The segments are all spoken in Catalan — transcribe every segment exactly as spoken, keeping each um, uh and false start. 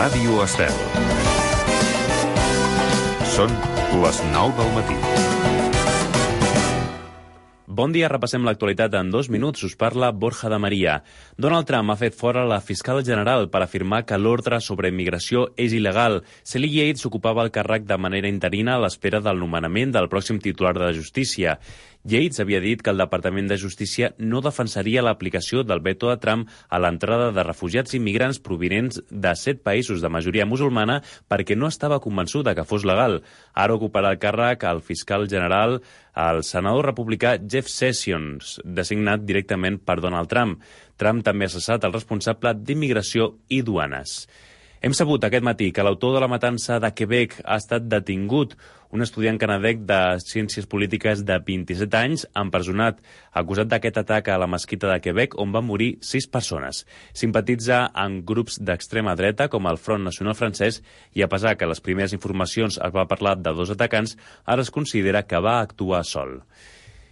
Ràdio Estel. Són les nou del matí. Bon dia, repassem l'actualitat en dos minuts. Us parla Borja de Maria. Donald Trump ha fet fora la fiscal general per afirmar que l'ordre sobre immigració és il·legal. Sally Yates ocupava el càrrec de manera interina a l'espera del nomenament del pròxim titular de Justícia. Yates havia dit que el Departament de Justícia no defensaria l'aplicació del veto de Trump a l'entrada de refugiats immigrants provinents de set països de majoria musulmana perquè no estava convençuda que fos legal. Ara ocuparà el càrrec el fiscal general, el senador republicà Jeff Sessions, designat directament per Donald Trump. Trump també ha cessat el responsable d'immigració i duanes. Hem sabut aquest matí que l'autor de la matança de Quebec ha estat detingut. Un estudiant canadenc de Ciències Polítiques de vint-i-set anys, empresonat, acusat d'aquest atac a la mesquita de Quebec, on van morir sis persones. Simpatitza amb grups d'extrema dreta, com el Front Nacional francès, i a pesar que les primeres informacions es va parlar de dos atacants, ara es considera que va actuar sol.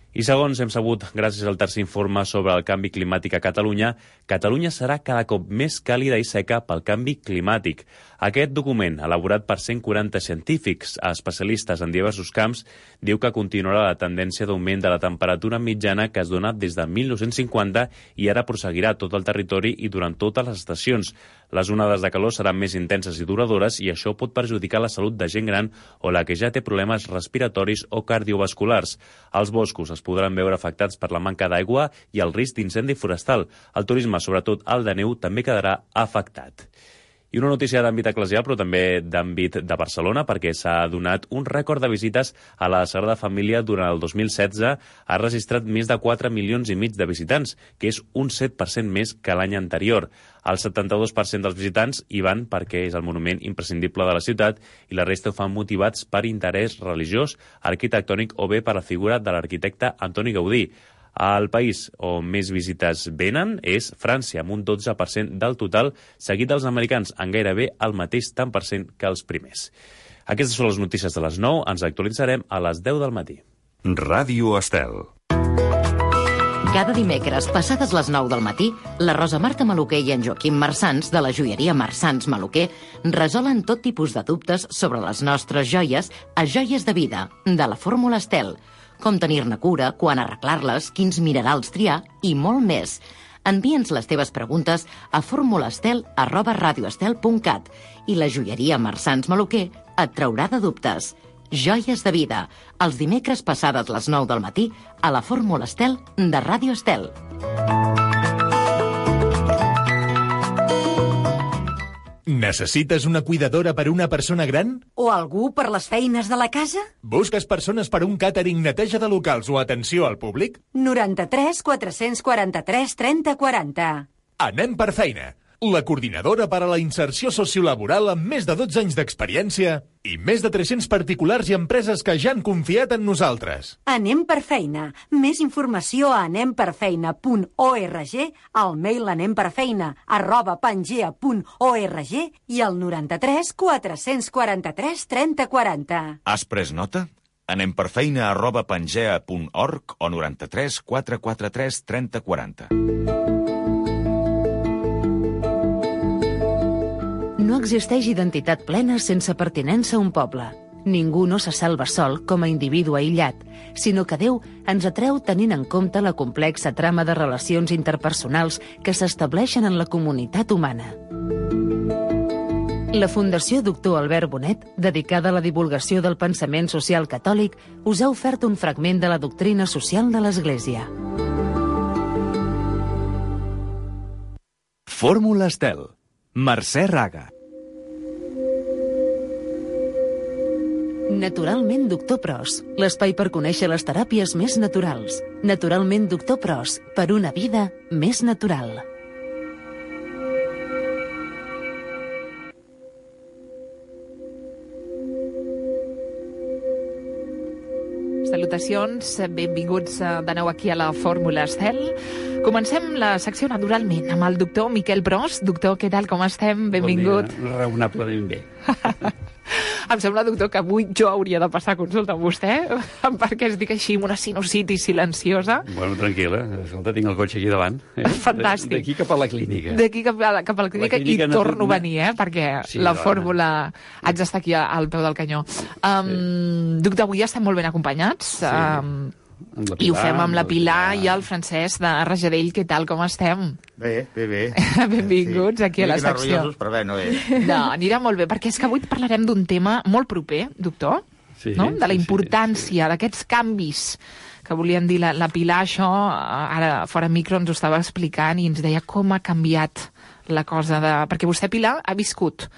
I segons hem sabut, gràcies al tercer informe sobre el canvi climàtic a Catalunya, Catalunya serà cada cop més càlida i seca pel canvi climàtic. Aquest document, elaborat per cent quaranta científics especialistes en diversos camps, diu que continuarà la tendència d'augment de la temperatura mitjana que es dona des de mil nou-cents cinquanta i ara prosseguirà tot el territori i durant totes les estacions. Les onades de calor seran més intenses i duradores i això pot perjudicar la salut de gent gran o la que ja té problemes respiratoris o cardiovasculars. Els boscos es podran veure afectats per la manca d'aigua i el risc d'incendi forestal. El turisme, sobretot el de neu, també quedarà afectat. I una notícia d'àmbit eclesial, però també d'àmbit de Barcelona, perquè s'ha donat un rècord de visites a la Sagrada Família durant el dos mil setze. Ha registrat més de quatre milions i mig de visitants, que és un set per cent més que l'any anterior. El setanta-dos per cent dels visitants hi van perquè és el monument imprescindible de la ciutat i la resta ho fan motivats per interès religiós, arquitectònic o bé per la figura de l'arquitecte Antoni Gaudí. El país on més visites venen és França, amb un dotze per cent del total, seguit dels americans, en gairebé el mateix tant per cent que els primers. Aquestes són les notícies de les nou. Ens actualitzarem a les deu del matí. Ràdio Estel. Cada dimecres, passades les nou del matí, la Rosa Marta Maluquer i en Joaquim Marsans, de la joieria Marsans Maluquer, resolen tot tipus de dubtes sobre les nostres joies a Joies de Vida, de la Fórmula Estel. Com tenir-ne cura, quan arreglar-les, quins minerals triar i molt més. Envia'ns les teves preguntes a formulastel arroba radioestel punt cat i la joieria Marsans Maluquer et traurà de dubtes. Joies de Vida, els dimecres passades les nou del matí a la Fórmula Estel de Ràdio Estel. Necessites una cuidadora per una persona gran? O algú per les feines de la casa? Busques persones per un càtering, neteja de locals o atenció al públic? noranta-tres quatre-cents quaranta-tres trenta quaranta. Anem per feina. La coordinadora per a la inserció sociolaboral amb més de dotze anys d'experiència i més de tres-cents particulars i empreses que ja han confiat en nosaltres. Anem per feina. Més informació a anem per feina punt org, al mail anemperfeina arroba pangea punt org i al noranta-tres quatre-cents quaranta-tres trenta quaranta. Has pres nota? anemperfeina arroba pangea punt org o noranta-tres quatre-cents quaranta-tres trenta quaranta. No existeix identitat plena sense pertinença a un poble. Ningú no se salva sol com a individu aïllat, sinó que Déu ens atreu tenint en compte la complexa trama de relacions interpersonals que s'estableixen en la comunitat humana. La Fundació Doctor Albert Bonet, dedicada a la divulgació del pensament social catòlic, us ha ofert un fragment de la doctrina social de l'Església. Fórmula Estel. Mercè Raga. Naturalment Doctor Pros, l'espai per conèixer les teràpies més naturals. Naturalment Doctor Pros, per una vida més natural. Salutacions, benvinguts de nou aquí a la Fórmula Estel. Comencem la secció naturalment amb el doctor Miquel Pros. Doctor, què tal, com estem? Benvingut. Bon dia, raonablement bé. Em sembla, doctor, que avui jo hauria de passar consulta amb vostè, perquè es dic així, una sinusitis silenciosa. Bueno, tranquil·la. Escolta, tinc el cotxe aquí davant. Eh? Fantàstic. D'aquí cap a la clínica. D'aquí cap a la, cap a la clínica, la clínica i no torno a venir, eh? Perquè sí, la fórmula haig d'estar aquí al peu del canyó. Um, sí. Doctor, avui estem molt ben acompanyats. Sí. Um, Pilar, I ho fem amb la Pilar i el Francesc de Rajadell. Què tal, com estem? Bé, bé, bé. Benvinguts sí. aquí a la secció. Però bé, no bé. No, anirà molt bé, perquè és que avui parlarem d'un tema molt proper, doctor, sí, no? De la importància sí, sí. d'aquests canvis que volien dir la, la Pilar. Això, ara fora micro, ens ho estava explicant i ens deia com ha canviat la cosa de... Perquè vostè, Pilar, ha viscut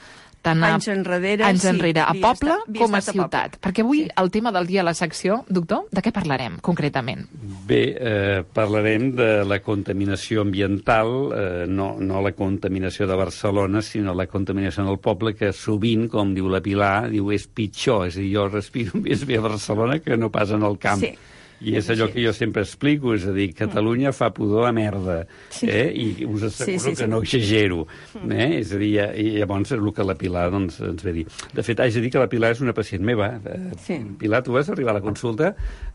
tant a, anys enrere, anys enrere sí, a poble estat, com a a ciutat. Perquè avui sí. el tema del dia a la secció, doctor, de què parlarem concretament? Bé, eh, parlarem de la contaminació ambiental, eh, no, no la contaminació de Barcelona, sinó la contaminació en el poble, que sovint, com diu la Pilar, diu és pitjor. És a dir, jo respiro més bé a Barcelona que no pas en el camp. Sí. I és allò que jo sempre explico, és a dir, Catalunya fa pudor a merda, sí. eh? I us asseguro sí, sí, sí. que no exagero. Eh? És a dir, i llavors és el que la Pilar doncs, ens ve dir. De fet, haig de dir que la Pilar és una pacient meva. Sí. Pilar, tu vas arribar a la consulta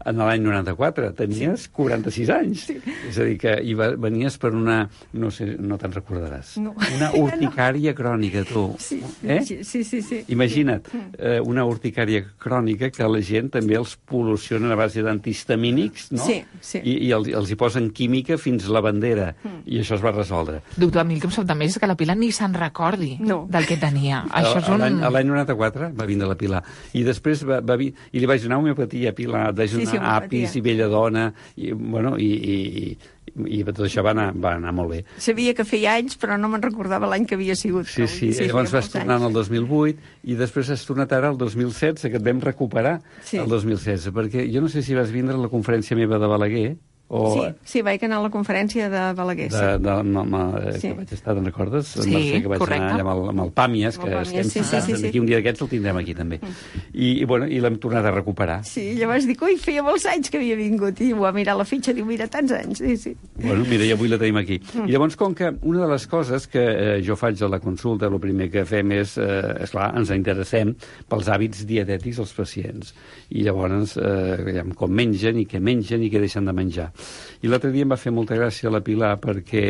en l'any noranta-quatre, tenies sí. quaranta-sis anys. Sí. És a dir, que hi va, venies per una, no sé, no te'n recordaràs, no. una urticària crònica, tu. Sí, eh? sí, sí, sí. Imagina't, eh, una urticària crònica que la gent també els pol·luciona a base d'antihistamínics, no? Sí, sí. I, i els, els hi posen química fins la bandera, mm. i això es va resoldre. Doctor, a mi el que em sobta més és que la Pilar ni se'n recordi no. del que tenia. Això és un... L'any noranta-quatre va vindre la Pilar, i després va, va vi... i li vaig donar homeopatia, Pilar, vaig donar sí, sí, apis i belladona, i, bueno, i, i, i tot això va anar, va anar molt bé. Sabia que feia anys, però no me'n recordava l'any que havia sigut. Sí, sí, sí llavors vas tornar el dos mil vuit, i després has tornat ara el dos mil setze, que et vam recuperar sí. el dos mil setze, perquè jo no sé si vas vindre a la conferència meva de Balaguer, o... Sí, sí, vaig anar a la conferència de Balaguer. De, de, de, no, no, sí. Que vaig estar, te'n recordes? Sí, Mercè, que vaig correcte. anar allà amb el, amb el Pàmies, que el Pàmies, estem sí, sí, sí, sí. Aquí un dia d'aquests el tindrem aquí també. Mm. I, i, bueno, i l'hem tornat a recuperar. Sí, llavors dic, ui, feia molts anys que havia vingut, i ho va mirar la fitxa, diu, mira, tants anys, sí, sí. Bueno, mira, i avui la tenim aquí. Mm. I llavors, com que una de les coses que eh, jo faig a la consulta, el primer que fem és, eh, esclar, ens interessem pels hàbits dietètics dels pacients. I llavors, eh, com mengen, i què mengen, i què deixen de menjar. I l'altre dia em va fer molta gràcia la Pilar perquè,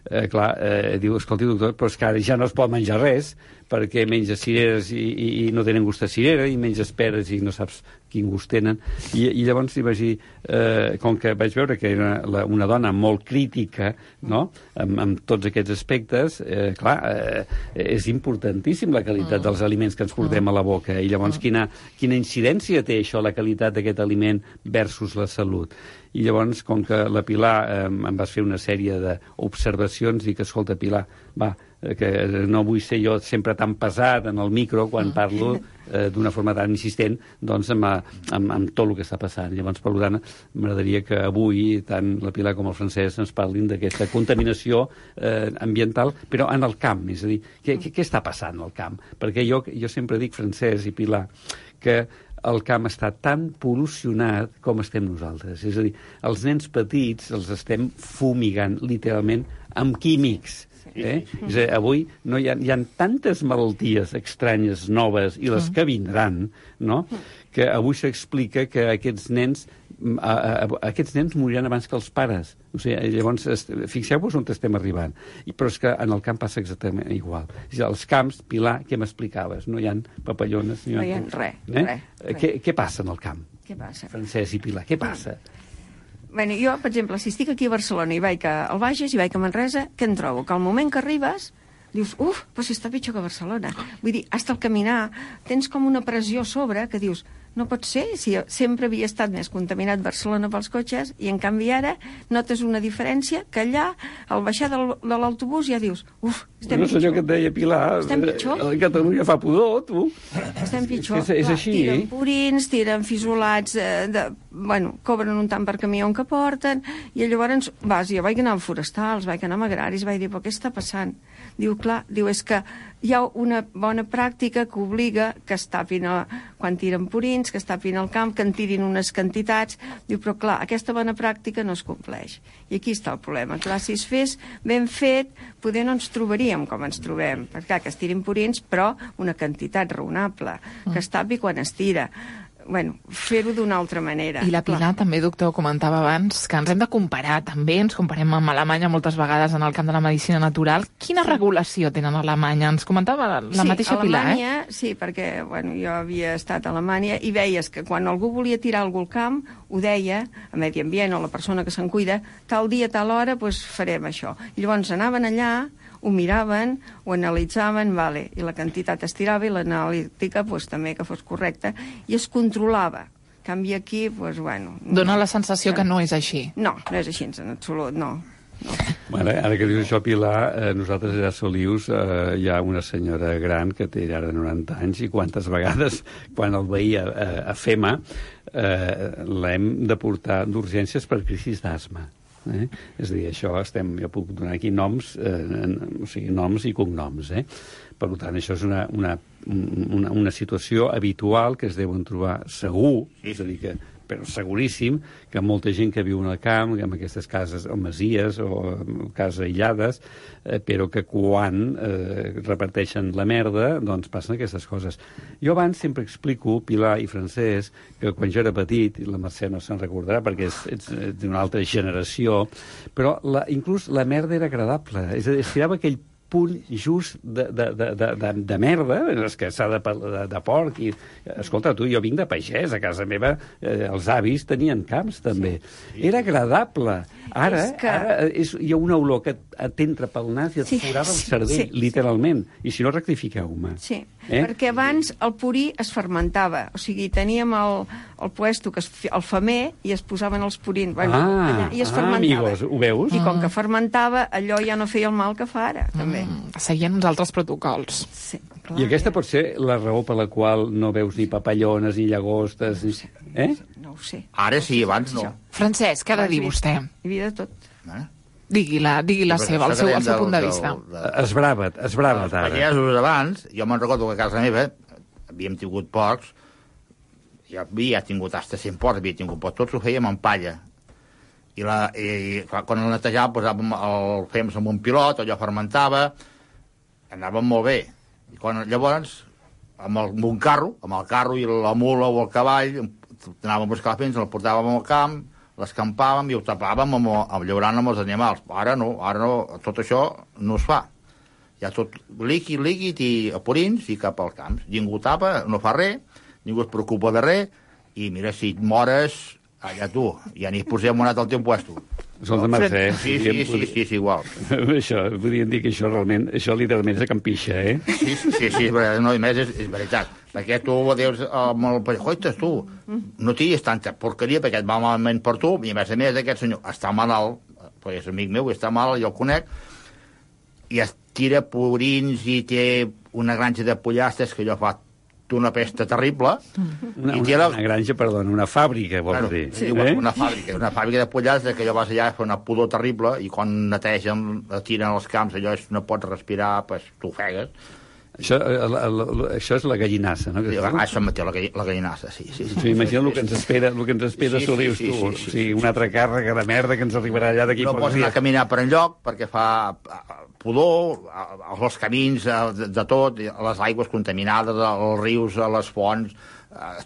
eh, clar, eh, diu, escolti, doctor, però és que ara ja no es pot menjar res, perquè menja cireres i, i, i no tenen gust de cirera, i menges peres i no saps quin gust tenen. I, i llavors li vaig dir, eh, com que vaig veure que era una, una dona molt crítica, no?, amb, amb tots aquests aspectes, eh, clar, eh, és importantíssim la qualitat dels aliments que ens portem a la boca, i llavors quina, quina incidència té això, la qualitat d'aquest aliment versus la salut. I llavors, com que la Pilar eh, em vas fer una sèrie d'observacions, dic, escolta, Pilar, va, que no vull ser jo sempre tan pesat en el micro quan parlo eh, d'una forma tan insistent, doncs amb, amb, amb tot el que està passant. Llavors, per tant, m'agradaria que avui tant la Pilar com el Francesc ens parlin d'aquesta contaminació eh, ambiental, però en el camp, és a dir, què, què, què està passant al camp? Perquè jo, jo sempre dic, Francesc i Pilar, que el camp està tan pol·lucionat com estem nosaltres. És a dir, els nens petits els estem fumigant, literalment, amb químics. Eh? És a dir, avui no hi ha, hi ha tantes malalties estranyes, noves, i les que vindran, no?, que avui s'explica que aquests nens a, a, a, aquests nens moriran abans que els pares. O sigui, llavors, fixeu-vos on estem arribant. I, però és que en el camp passa exactament igual. És a dir, als camps, Pilar, què m'explicaves? No hi ha papallones? No hi ha res, eh? res, res. Què, què passa en el camp? Què passa? Francesc i Pilar, què passa? Bueno, jo, per exemple, si estic aquí a Barcelona i vaig al Bages i vaig a Manresa, què em trobo? Que al moment que arribes dius, uf, però si està pitjor que Barcelona. Vull dir, hasta el caminar tens com una pressió a sobre que dius, no pot ser, si sempre havia estat més contaminat Barcelona pels cotxes, i en canvi ara notes una diferència que allà, al baixar del, de l'autobús, ja dius, uf, estem no pitjor. No sé allò que et deia Pilar, estem pitjor. A Catalunya fa pudor, tu. Estem pitjor. És, és, és així, tiren eh? purins, tiren fisolats, eh, de, bueno, cobren un tant per camió que porten, i llavors vas, jo vaig anar als forestals, vaig anar a agraris, vaig dir, però què està passant? Diu, clar, diu, és que hi ha una bona pràctica que obliga que es tapin a, quan tiren purins, purins, que es tapin el camp, que en tirin unes quantitats. Diu, però clar, aquesta bona pràctica no es compleix. I aquí està el problema. Clar, si es fes ben fet, poder no ens trobaríem com ens trobem. Perquè clar, que es tirin purins, però una quantitat raonable, que es tapi quan es tira. Bueno, fer-ho d'una altra manera. I la Pilar també, doctor, comentava abans que ens hem de comparar també, ens comparem amb Alemanya moltes vegades en el camp de la medicina natural. Quina regulació tenen a Alemanya? Ens comentava la sí, mateixa Pilar, Alemanya, eh? Sí, perquè bueno, jo havia estat a Alemanya i veies que quan algú volia tirar algú al camp, ho deia a Medi Ambient o la persona que se'n cuida, tal dia, tal hora, doncs farem això. I llavors anaven allà, ho miraven, ho analitzaven, vale, i la quantitat es tirava i l'analítica pues, també que fos correcta, i es controlava. En canvi aquí, pues, bueno... Dóna la sensació que no és així. No, no és així en absolut, no. no. Bueno, ara que dius això, Pilar, eh, nosaltres ja a Solius eh, hi ha una senyora gran que té ara noranta anys i quantes vegades, quan el veia eh, a FEMA, eh, l'hem de portar d'urgències per crisis d'asma. Eh? És a dir, això estem, jo puc donar aquí noms, eh, o sigui, noms i cognoms, eh? Per tant, això és una, una, una, una situació habitual que es deuen trobar segur, és a dir, que, però seguríssim que molta gent que viu en el camp, en aquestes cases o masies o cases aïllades, eh, però que quan eh, reparteixen la merda, doncs passen aquestes coses. Jo abans sempre explico, Pilar i Francesc, que quan jo era petit, i la Mercè no se'n recordarà perquè és, ets d'una altra generació, però la, inclús la merda era agradable, és a dir, es tirava aquell punt just de, de, de, de, de, de merda, és que s'ha de, de, de porc. I, escolta, tu, jo vinc de pagès, a casa meva eh, els avis tenien camps, també. Sí. Era agradable. Ara, és que... ara és, hi ha una olor que t'entra pel nas i et sí. forava el cervell, sí. literalment. I si no, rectifiqueu-me. Sí, eh? Perquè abans el purí es fermentava. O sigui, teníem el, el puesto, que es, el femer, i es posaven els purins. Bueno, ah, allà, i es ah, fermentava. amigos, ho veus? I com que fermentava, allò ja no feia el mal que fa ara, també. Mm, seguien uns altres protocols. Sí, clar, I aquesta pot ser la raó per la qual no veus ni papallones, ni llagostes... Ni... Eh? No ho sé. Ara sí, abans no. Francesc, què ha de dir vostè? Hi havia de tot. Eh? Digui-la, digui la Sí, seva, el seu, el seu del- punt de del- vista. del- Esbrava't, esbrava't Els ara. pagesos abans, jo me'n recordo que a casa meva havíem tingut porcs, jo havia tingut hasta cent porcs, havia tingut, però tots ho fèiem amb palla. I, la, i, i clar, quan el netejàvem, posàvem el fèiem amb un pilot, allò fermentava, anàvem molt bé. I quan, llavors, amb, el, amb un carro, amb el carro i la mula o el cavall, anàvem a buscar la pens, el portàvem al camp, l'escampàvem i ho tapàvem amb, amb llaurant amb els animals. Ara no, ara no, tot això no es fa. Hi ha tot líquid, líquid i a purins i cap als camps. Ningú tapa, no fa res, ningú es preocupa de res, i mira, si et mores, allà tu, ja ni posem un altre al teu puesto. Escolta, Mercè... Sí, sí, sí, sí, sí, és igual. Això, podríem dir que això realment, això literalment és a Campixa, eh? Sí, sí, sí, sí, no, i més és, és veritat. Perquè tu dius amb el pallacoites, tu, no tinguis tanta porqueria perquè et va malament per tu, i a més a més aquest senyor està malalt, perquè és amic meu, està malalt, jo el conec, i es tira purins i té una granja de pollastres que jo fa una pesta terrible. Una, i una, la... una granja, perdona, una fàbrica, vols bueno, dir. Sí, eh? Una fàbrica, una fàbrica de pollastres que jo vas allà fa una pudor terrible i quan netegen, tiren els camps, allò és, no pots respirar, pues, t'ofegues. Això, el, el, el, això és la gallinassa, no? Sí, això mateix, la, la gallinassa, sí. sí, sí. sí imagina el que ens espera, el que ens espera sí, Solius, sí, sí, tu. Sí, sí, sí. O sigui, una altra càrrega de merda que ens arribarà allà d'aquí no pocs dies. No pots anar a caminar per enlloc perquè fa pudor, als camins, de, de tot, les aigües contaminades, als rius, a les fonts,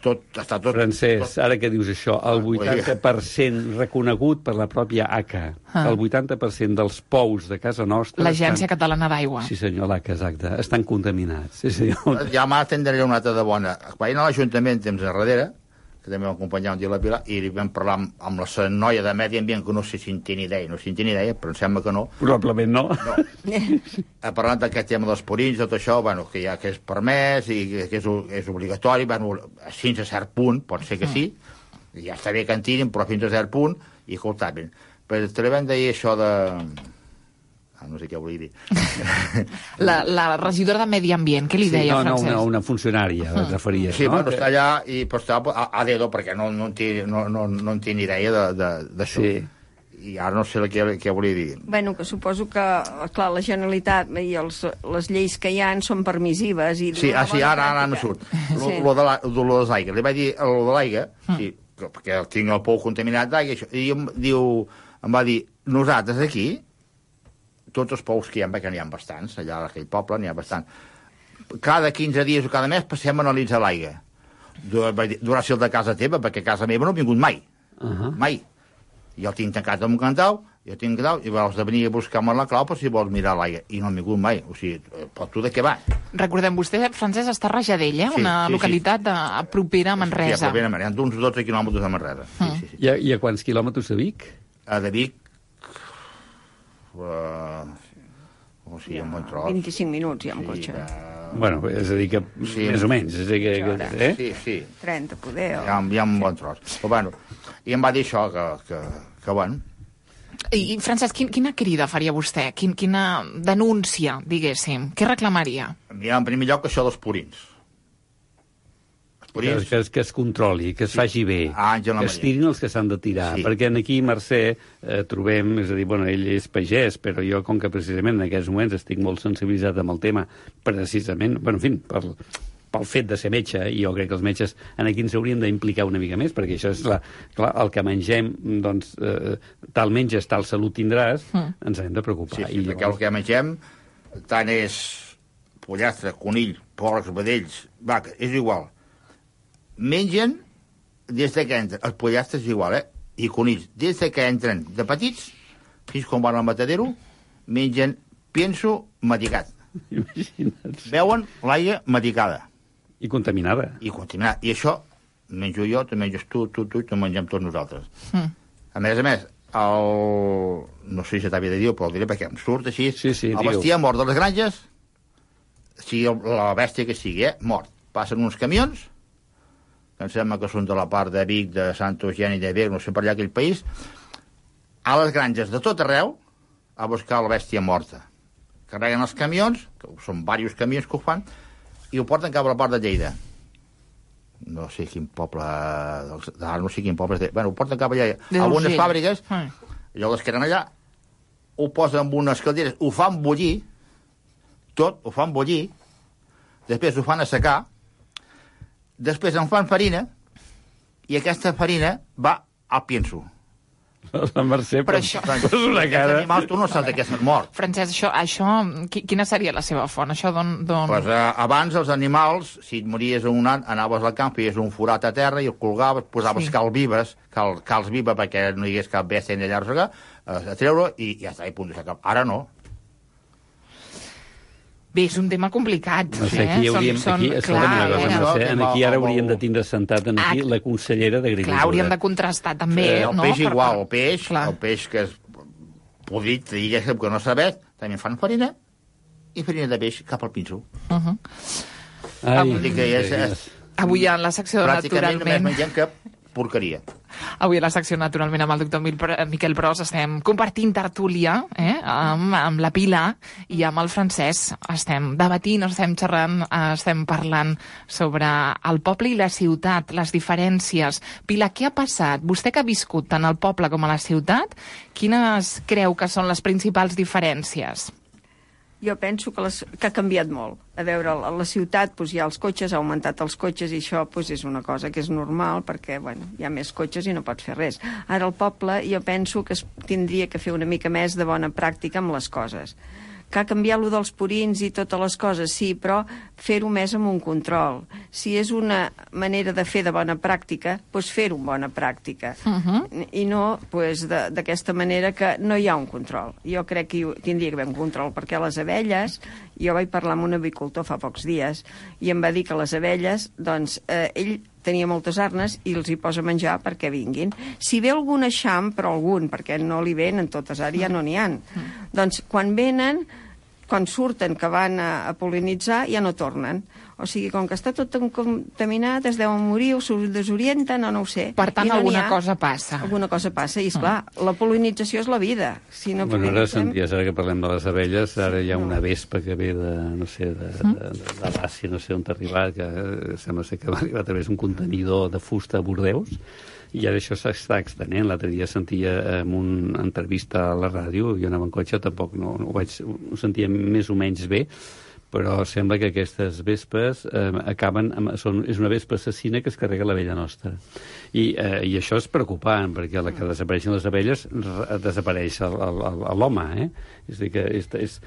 tot, està tot... Francesc, tot... ara que dius això, el vuitanta per cent reconegut per la pròpia A C A, ah. el vuitanta per cent dels pous de casa nostra... L'Agència estan... Catalana d'Aigua. Sí, senyor, l'A C A, exacte. Estan contaminats. Sí, senyor. Ja m'atendré una altra de bona. Vaig anar a l'Ajuntament temps enrere, que també m'acompanyava un dia a la Pilar, i vam parlar amb, amb la noia de Medi Ambient, que no sé si en té ni idea, no sé si en té ni idea, però em sembla que no. Probablement no. No. Ha parlat d'aquest tema dels purins, tot això, bueno, que ja que és permès i que és, és obligatori, bueno, fins a cert punt, pot ser que sí, ja està bé que en tirin, però fins a cert punt, i escoltaven. Però també vam dir això de... no sé què volia dir. La, la regidora de Medi Ambient, què li sí, deia, no, Francesc? No, una, una funcionària, et referies, sí, no? Sí, bueno, està allà i però està a, a dedo, perquè no, no, en té, no, no, no en té ni idea d'això. Sí. I ara no sé què, què volia dir. Bueno, que suposo que, clar, la Generalitat i els, les lleis que hi ha són permissives. I sí, ah, sí, ara, ara no surt. Lo, sí. lo de l'aigua. Li vaig dir, lo de l'aigua, mm. sí, perquè tinc el pou contaminat d'aigua, i em, diu, em va dir, nosaltres aquí, tots els pous que hi ha, que n'hi ha bastants, allà a aquell poble n'hi ha bastants, cada quinze dies o cada mes passem a analitzar l'aigua. Durà ser el de casa teva, perquè a casa meva no he vingut mai. Uh -huh. Mai. Jo el tinc tancat amb un cantau, jo tinc cantau, i vols de venir a buscar-me la clau per si vols mirar l'aigua. I no he vingut mai. O sigui, però tu de què va? Recordem, vostè, Francesc, està a Rajadell, eh? Sí, una sí, localitat sí. De, propera a Manresa. Sí, propera a Manresa. Hi ha d'uns dotze quilòmetres de Manresa. Sí, mm. sí, sí. I, a, I a quants quilòmetres de Vic? A de Vic... Uh, o sigui, un bon tros. vint-i-cinc minuts, ja, amb sí, cotxe. De... Bueno, és a dir que sí, més o menys. És a dir que, que, eh? Sí, sí. trenta, poder. O... Hi ha, hi ha un bon tros. Però, bueno, i em va dir això, que, que, que bueno... I, Francesc, quin, quina crida faria vostè? Quin, quina denúncia, diguéssim? Què reclamaria? Mira, en primer lloc, això dels purins. Els purins... Que, que, que es controli, que es sí. faci bé, ah, que es tirin els que s'han de tirar. Sí. Perquè aquí, Mercè, eh, trobem... És a dir, bueno, ell és pagès, però jo, com que precisament en aquests moments estic molt sensibilitzat amb el tema, precisament, bueno, en fi, per... pel fet de ser metge, i jo crec que els metges en aquí ens hauríem d'implicar una mica més, perquè això és la, clar, el que mengem, doncs, eh, tal menges, tal salut tindràs, mm. ens hem de preocupar. Sí, sí, I perquè llavors... el que mengem tant és pollastre, conill, porcs, vedells, vaca, és igual. Mengen des que entren, els pollastres és igual, eh? I conills, des que entren de petits, fins quan van al matadero, mengen pienso medicat. Imagina't. Veuen l'aigua medicada. I contaminada. I contaminada. I això menjo jo, te menges tu, tu, tu, i te mengem tots nosaltres. Mm. A més a més, el... no sé si t'havia de dir, però el diré perquè em surt així. Sí, sí, el bestiar mort de les granges, sigui la bèstia que sigui, eh, mort. Passen uns camions, que em sembla que són de la part de Vic, de Sant Eugeni, de Vic, no sé per allà aquell país, a les granges de tot arreu, a buscar la bèstia morta. Carreguen els camions, que són diversos camions que ho fan, i ho porten cap a la part de Lleida. No sé quin poble... Ah, no sé quin poble... De... Bueno, ho porten cap allà. A algunes fàbriques, ah. allò que eren allà, ho posen amb unes calderes, ho fan bullir, tot, ho fan bullir, després ho fan assecar, després en fan farina, i aquesta farina va al pienso. La Mercè, però això... Però una cara... animals tu no saps que s'han mort. Francesc, això, això, quina seria la seva font? Això d'on... Pues, eh, abans els animals, si et mories un an, anaves al camp, feies un forat a terra i el colgaves, posaves sí. cal vives, cal, cals viva perquè no hi hagués cap bèstia allà a arrossegar, eh, a treure i ja està, i punt de sacar. Ara no. Bé, és un tema complicat. No sé, aquí eh? hauríem... Són, aquí, són, clar, una cosa, eh? Mercè, en aquí ara hauríem de tindre sentat en aquí la consellera d'Agricultura. Clar, hauríem de contrastar també, eh, el no? Peix igual, el peix, clar. El peix que és podrit, diguéssim, que no sabet, també fan farina, i farina de peix cap al pinso. Uh -huh. Ai, Avui, que és, és, avui en la secció de Naturalment... Pràcticament només mengem que porqueria. Avui a la secció Naturalment amb el doctor Miquel Pros estem compartint tertúlia eh, amb, amb la Pilar i amb el Francesc. Estem debatint, estem xerrant, estem parlant sobre el poble i la ciutat, les diferències. Pilar, què ha passat? Vostè que ha viscut tant al poble com a la ciutat, quines creu que són les principals diferències? Jo penso que, les, que ha canviat molt. A veure, a la ciutat doncs, hi ha els cotxes, ha augmentat els cotxes i això doncs, és una cosa que és normal perquè bueno, hi ha més cotxes i no pots fer res. Ara al poble jo penso que es tindria que fer una mica més de bona pràctica amb les coses. Que ha canviat lo dels purins i totes les coses, sí, però fer-ho més amb un control. Si és una manera de fer de bona pràctica, doncs fer-ho amb bona pràctica. Uh -huh. I no doncs, d'aquesta manera que no hi ha un control. Jo crec que hi tindria que haver un control, perquè les abelles, jo vaig parlar amb un avicultor fa pocs dies, i em va dir que les abelles, doncs, eh, ell tenia moltes arnes i els hi posa menjar perquè vinguin. Si ve algun eixam, però algun, perquè no li venen totes, ara ja no n'hi ha. Mm. Doncs quan venen, quan surten que van a, a pol·linitzar, ja no tornen. O sigui, com que està tot contaminat, es deuen morir o s'ho desorienten o no ho sé. Per tant, no alguna cosa passa. Alguna cosa passa, i esclar, mm. la pol·linització és la vida. Si no bueno, ara senties, ara que parlem de les abelles, ara hi ha una vespa que ve de, no sé, de, mm. de, de, de l'Àsia, no sé on t'ha arribat, que sembla ser que va arribar a través d'un contenidor de fusta a Bordeus, i ara això s'està extenent. L'altre dia sentia en una entrevista a la ràdio, jo anava en cotxe, tampoc no, no ho, vaig, ho sentia més o menys bé, però sembla que aquestes vespes eh, acaben amb, són, és una vespa assassina que es carrega la vella nostra. I, eh, i això és preocupant, perquè a la que desapareixen les abelles desapareix l'home, eh? És a dir, que és, és,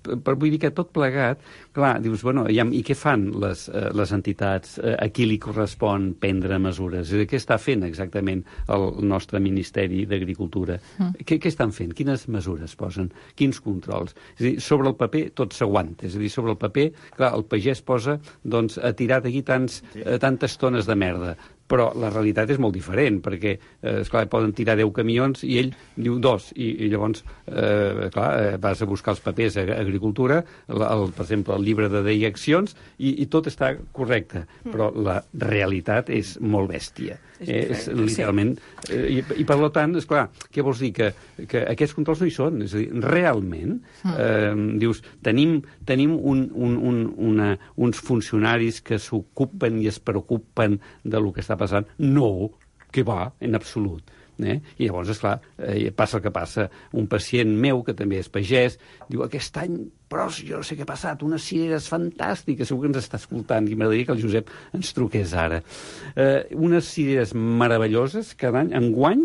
per, vull dir que tot plegat, clar, dius, bueno, i, i què fan les, les entitats? A qui li correspon prendre mesures? És a dir, què està fent exactament el nostre Ministeri d'Agricultura? Mm. Què, què estan fent? Quines mesures posen? Quins controls? És a dir, sobre el paper tot s'aguanta, és a dir, sobre el paper, clar, el pagès posa, doncs, ha tirat aquí tants, sí. eh, tantes tones de merda, però la realitat és molt diferent, perquè, eh, esclar, poden tirar deu camions i ell diu dos, i, i llavors, eh, clar, eh, vas a buscar els papers a Agricultura, el, el, per exemple, el llibre de direccions, i, i tot està correcte, però la realitat és molt bèstia. És, eh, és literalment... Eh, i, I, per tant, esclar, què vols dir? Que, que aquests controls no hi són. És a dir, realment, eh, dius, tenim, tenim un, un, un, una, uns funcionaris que s'ocupen i es preocupen de lo que està passant? No, que va, en absolut. Eh? I llavors, esclar, eh, passa el que passa. Un pacient meu, que també és pagès, diu, aquest any, però jo no sé què ha passat, unes cireres fantàstiques, segur que ens està escoltant, i m'agradaria que el Josep ens truqués ara. Eh, unes cireres meravelloses, cada any, enguany,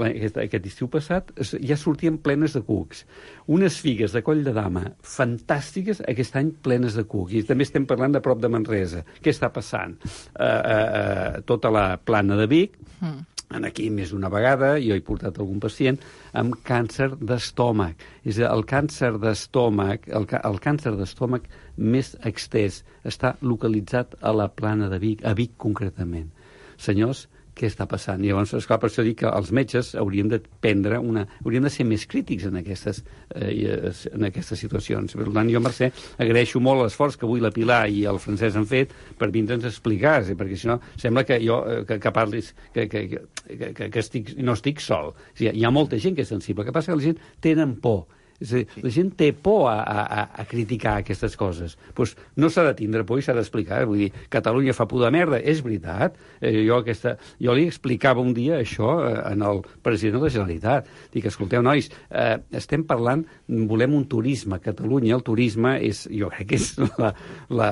aquest, aquest estiu passat, ja sortien plenes de cucs. Unes figues de Coll de Dama fantàstiques, aquest any plenes de cuc. I també estem parlant de prop de Manresa. Què està passant? Eh, eh, eh, tota la plana de Vic, mm. Aquí més d'una vegada, jo he portat algun pacient amb càncer d'estómac. És a dir, el càncer d'estómac, el, el càncer d'estómac més extès està localitzat a la plana de Vic, a Vic concretament. Senyors, què està passant? I llavors, esclar, per això dic que els metges hauríem de prendre una... hauríem de ser més crítics en aquestes, eh, en aquestes situacions. Per tant, jo, Mercè, agraeixo molt l'esforç que avui la Pilar i el Francesc han fet per vindre'ns a explicar, perquè si no, sembla que jo, que, que parlis, que, que, que, que, que estic, no estic sol. O sigui, hi ha molta gent que és sensible. El que passa que la gent tenen por. És a dir, sí. La gent té por a, a, a criticar aquestes coses. Pues no s'ha de tindre por i s'ha d'explicar. Vull dir, Catalunya fa por de merda, és veritat. Eh, jo, aquesta, jo li explicava un dia això eh, en el president de la Generalitat. Dic, escolteu, nois, eh, estem parlant, volem un turisme a Catalunya. El turisme és, jo crec que és la, la,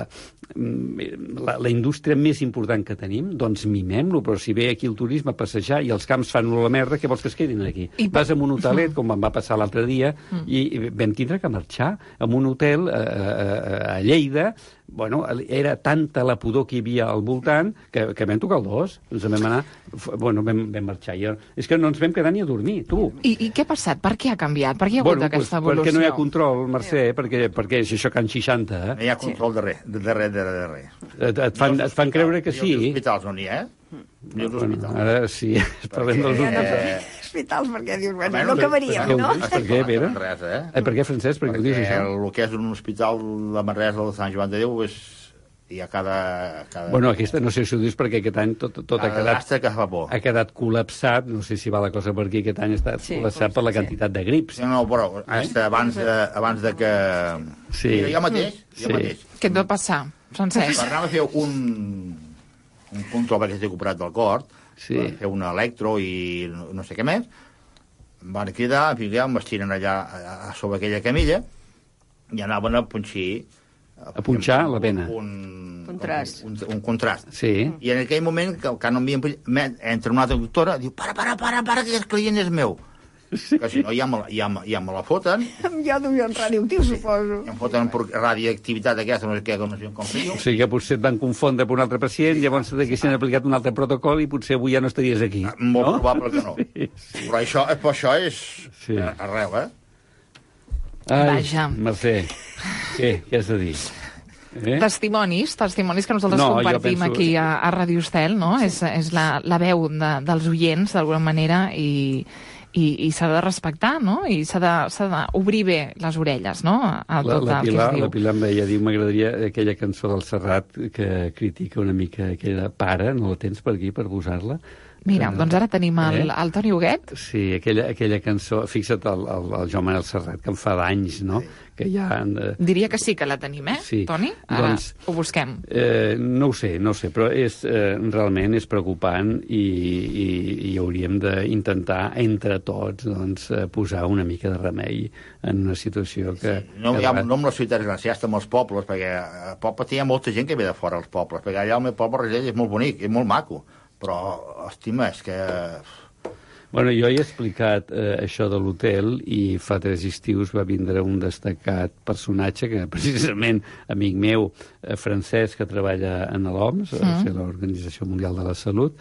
la, la indústria més important que tenim, doncs mimem-lo, però si ve aquí el turisme a passejar i els camps fan la merda, què vols que es quedin aquí? I vas a un hotelet, com em va passar l'altre dia, mm. i vam tindre que marxar en un hotel a, a, a Lleida. Bueno, era tanta la pudor que hi havia al voltant que, que vam tocar el dos. Ens vam anar... Bueno, vam, vam marxar. I, és que no ens vam quedar ni a dormir, tu. I, i què ha passat? Per què ha canviat? Per què hi ha hagut bueno, aquesta pues, evolució? Perquè no hi ha control, Mercè, perquè, perquè és això Can seixanta. Eh? No hi ha control de res, de res, de res, de res. Et, et, fan, et fan creure que sí. Hi ha hospitals on hi ha, eh? Hi ha bueno, ara sí, parlem dels hospitals. Hospitals, perquè dius, bueno, no acabaríem, no? Per què, Pere? Manresa, eh? Eh, per què, Francesc? Per què ho dius, això? El que és un hospital de Manresa de Sant Joan de Déu és... hi ha cada... cada... Bueno, aquesta no sé si ho dius perquè aquest any tot, tot ha quedat... que fa por. Ha quedat col·lapsat, no sé si va la cosa per aquí, aquest any ha estat sí, col·lapsat per la quantitat sí. de grips. Sí, no, però hasta abans, de, abans de que... Sí. Jo mateix, jo sí. mateix. Què et va passar, Francesc? Per anar a fer un, un control perquè estic operat del cor, sí. fer un electro i no, no sé què més, em van cridar, em vestiren allà a, a sobre aquella camilla i anaven a punxir a punxar la pena. Un, contrast. Un, un, un contrast. Sí. I en aquell moment, que, que no m'havien... Entra una altra doctora, diu, para, para, para, para, que el client és meu. Sí. Que si no, ja me, ja, ja me la foten. Amb iodo i un radioactiu, sí. suposo. Ja em foten per radioactivitat aquesta, no sé què, no sé com fer. O sigui que potser et van confondre per un altre pacient, llavors s'han aplicat un altre protocol i potser avui ja no estaries aquí. Molt no? probable que no. Sí, sí. Però això, però això és sí. arrel, eh? Ai, Vaja. Mercè, què, què has de dir? Eh? Testimonis, testimonis que nosaltres no, compartim penso... aquí a, a Ràdio Estel, no? Sí. És, és la, la veu de, dels oients, d'alguna manera, i, i, i s'ha de respectar, no? I s'ha d'obrir bé les orelles, no? A tot la, la el Pilar, que es diu. La Pilar em deia, diu, m'agradaria aquella cançó del Serrat que critica una mica aquella pare, no la tens per aquí per posar-la? Mira, Que- doncs ara tenim el, Eh? el Toni Huguet. Sí, aquella, aquella cançó, fixa't el, el, el Joan Manel Serrat, que em fa d'anys, no? Que ja... Eh, Diria que sí que la tenim, eh, Sí. Toni? Ara Doncs- ho busquem. eh, no ho sé, no ho sé, però és, eh, realment és preocupant i, i, i hauríem d'intentar, entre tots, doncs, eh, posar una mica de remei en una situació que... No, que ja, va- no amb les ciutats grans, ja està amb els pobles, perquè a poble hi ha molta gent que ve de fora als pobles, perquè allà el meu poble Rosell és molt bonic, és molt maco, però, estima, és que... Bueno, jo he explicat eh, això de l'hotel i fa tres estius va vindre un destacat personatge que precisament amic meu, eh, francès, que treballa en l'O M S, Mm. mm. l'Organització Mundial de la Salut,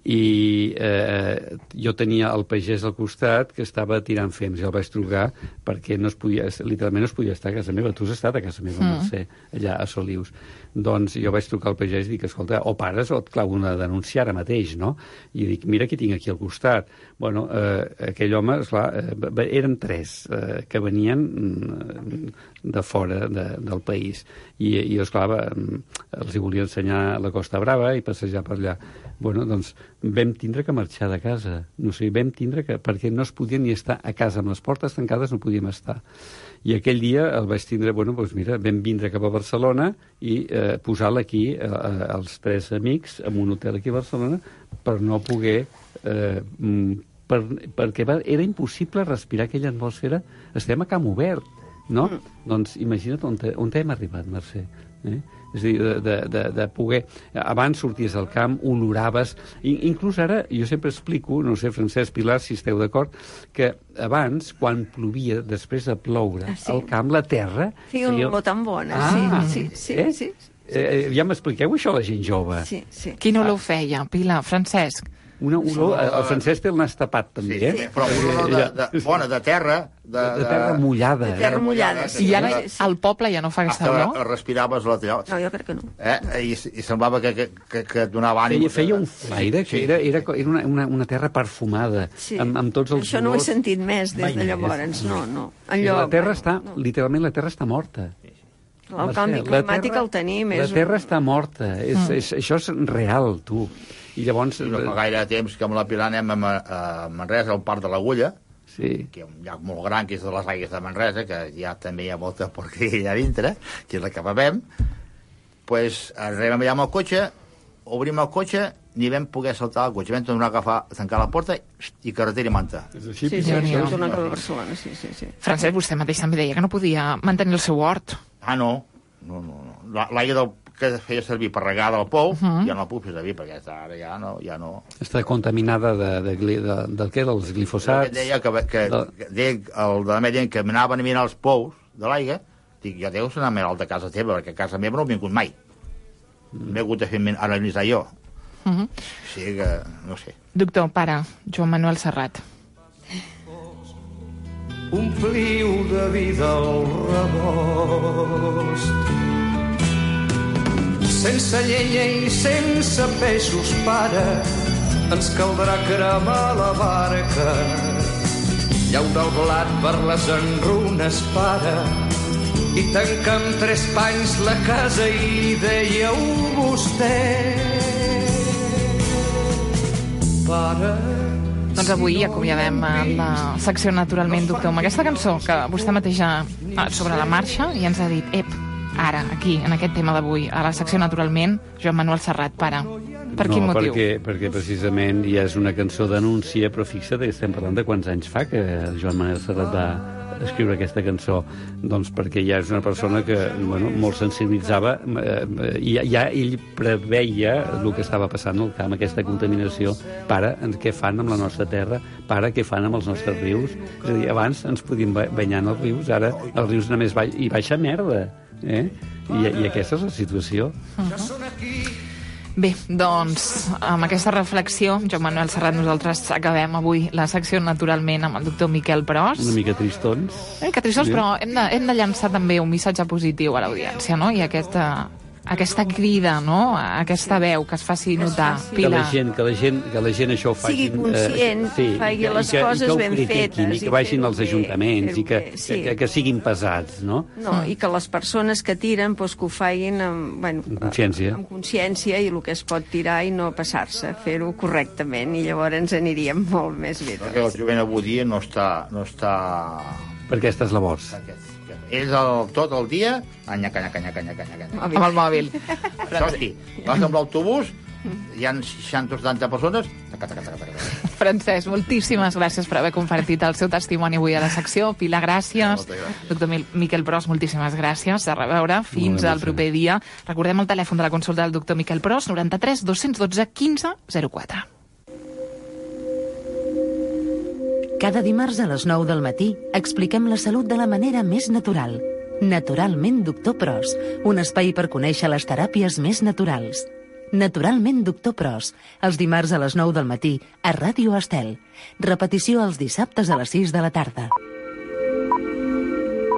i eh, jo tenia el pagès al costat que estava tirant fems i el vaig trucar perquè no es podia, literalment no es podia estar a casa meva. Tu has estat a casa meva, Mm. Mercè, allà a Solius. Doncs jo vaig trucar al pagès i dic, escolta, o pares o et clavo una denúncia ara mateix, no? I dic, mira qui tinc aquí al costat. Bueno, eh, aquell home, esclar, eh, eren tres eh, que venien mm, de fora de, del país. I, i esclar, va, els hi volia ensenyar la Costa Brava i passejar per allà. Bueno, doncs vam tindre que marxar de casa. No sé, vam tindre que... perquè no es podia ni estar a casa, amb les portes tancades no podíem estar. I aquell dia el vaig tindre, bueno, doncs mira, vam vindre cap a Barcelona i eh, posar-la aquí, eh, els tres amics, en un hotel aquí a Barcelona, per no poder... Eh, per, perquè va, era impossible respirar aquella atmosfera. Estem a camp obert, no? Mm. Doncs imagina't on, te, on hem arribat, Mercè. Eh? És a dir, de, de, de, de poder... Abans sorties al camp, oloraves... I, inclús ara, jo sempre explico, no sé, Francesc, Pilar, si esteu d'acord, que abans, quan plovia, després de ploure, Ah, sí. al camp, la terra... Feia una olor tan bona, Ah, sí, sí, sí, eh? sí. Eh, ja m'expliqueu això, la gent jove. Sí, sí. Qui no l'ho feia, Pilar? Francesc? Una olor... El Francesc té el nas tapat, també, Sí, eh? sí, però una olor de, de, bona, de terra... De, de terra mullada. De terra mullada, sí. I ara al poble ja no fa aquesta Hasta olor? respiraves la teva... No, jo crec que no. Eh? I, I semblava que, que, que, que et donava ànim. Feia, feia un flaire que era, era, era una, una, una terra perfumada, Sí. amb, amb tots els Això no ho he olors. sentit més des Mai de més. llavors, no, no. I Allò, la terra bueno, està, no. literalment, la terra està morta. El canvi La climàtic terra- el tenim. La És terra està morta. És, Mm. és, això és real, tu. I llavors... I no fa gaire temps que amb la Pilar anem a, Ma- a Manresa, al Parc de l'Agulla, sí. que hi ha un llac molt gran, que és de les aigües de Manresa, que ja també hi ha molta porqueria allà dintre, que és la que bevem. Pues arribem allà amb el cotxe, obrim el cotxe, ni vam poder saltar el cotxe. Vam tornar a agafar, a tancar la porta i carretera i manta. És Sí, sí, Déu-n'hi-do. sí, hem tornat cap a Barcelona, sí, sí, sí. Francesc, vostè mateix també deia que no podia mantenir el seu hort. Ah, no, no, no. no. La- L'aigua del que feia servir per regar del pou, uh -huh. ja no la puc fer servir, perquè ara ja no... Ja no. Està contaminada de, de, de, de, del què? Dels Jo glifosats? que deia que, que, que deia, el de la meva que anaven a mirar els pous de l'aigua, dic, ja deus anar més alt de casa teva, perquè a casa meva no he vingut mai. Mm. M'he hagut de fer analitzar jo. Uh -huh. O sigui que, no sé. Doctor, pare, Joan Manuel Serrat. Ompliu de vida el rebost. Sense llenya i sense peixos, pare, ens caldrà cremar la barca. Llaura el blat per les enrunes, pare, i tancar amb tres panys la casa i dèieu vostè, pare. Doncs avui acomiadem la secció Naturalment, doctor, amb aquesta cançó que vostè mateix ha sobre la marxa i ens ha dit, ep, ara, aquí, en aquest tema d'avui, a la secció Naturalment, Joan Manuel Serrat, pare. Per quin no, motiu? Perquè, perquè precisament ja és una cançó d'anúncia, però fixa't, estem parlant de quants anys fa que Joan Manuel Serrat va escriure aquesta cançó. Doncs perquè ja és una persona que, bueno, molt sensibilitzava, eh, i ja ell preveia el que estava passant al camp, aquesta contaminació. Pare, què fan amb la nostra terra? Pare, què fan amb els nostres rius? És a dir, abans ens podíem banyar en els rius, ara els rius només ba hi baixa merda. Eh? I, I aquesta és la situació. Uh-huh. Bé, doncs, amb aquesta reflexió, Joan Manuel Serrat, nosaltres acabem avui la secció Naturalment amb el doctor Miquel Pros. Una mica tristons. Eh, que tristons, sí. Però hem de, hem de llançar també un missatge positiu a l'audiència, no? I aquesta, aquesta crida, no? Aquesta veu que es faci notar. Que Pilar. la gent, que la gent, que la gent això ho facin... Sigui conscient, eh, sí, faci i que, les i que, coses i que ho ben critiquin, fetes i que i vagin fer-ho als bé, ajuntaments, i que, fer-ho bé, sí. que, que siguin pesats, no? No, i que les persones que tiren doncs, que ho facin amb, bueno, Amb consciència. amb consciència i el que es pot tirar i no passar-se, fer-ho correctament, i llavors ens aniríem molt més bé. Perquè el jovent avui dia no està... No està... Per aquestes labors. Ells el, tot el dia, anyaca, anyaca, anyaca, anyaca, anyaca. Amb el mòbil. Això sí, vas amb l'autobús, hi ha seixanta o setanta persones... Taca, taca, taca, taca. Francesc, moltíssimes gràcies per haver compartit el seu testimoni avui a la secció. Pilar, gràcies. Doctor Miquel Pros, moltíssimes gràcies. A reveure. Fins al proper dia. Recordem el telèfon de la consulta del doctor Miquel Pros, noranta-tres dos cents dotze quinze zero quatre. Cada dimarts a les nou del matí expliquem la salut de la manera més natural. Naturalment Doctor Pros, un espai per conèixer les teràpies més naturals. Naturalment Doctor Pros, els dimarts a les nou del matí a Ràdio Estel. Repetició els dissabtes a les sis de la tarda.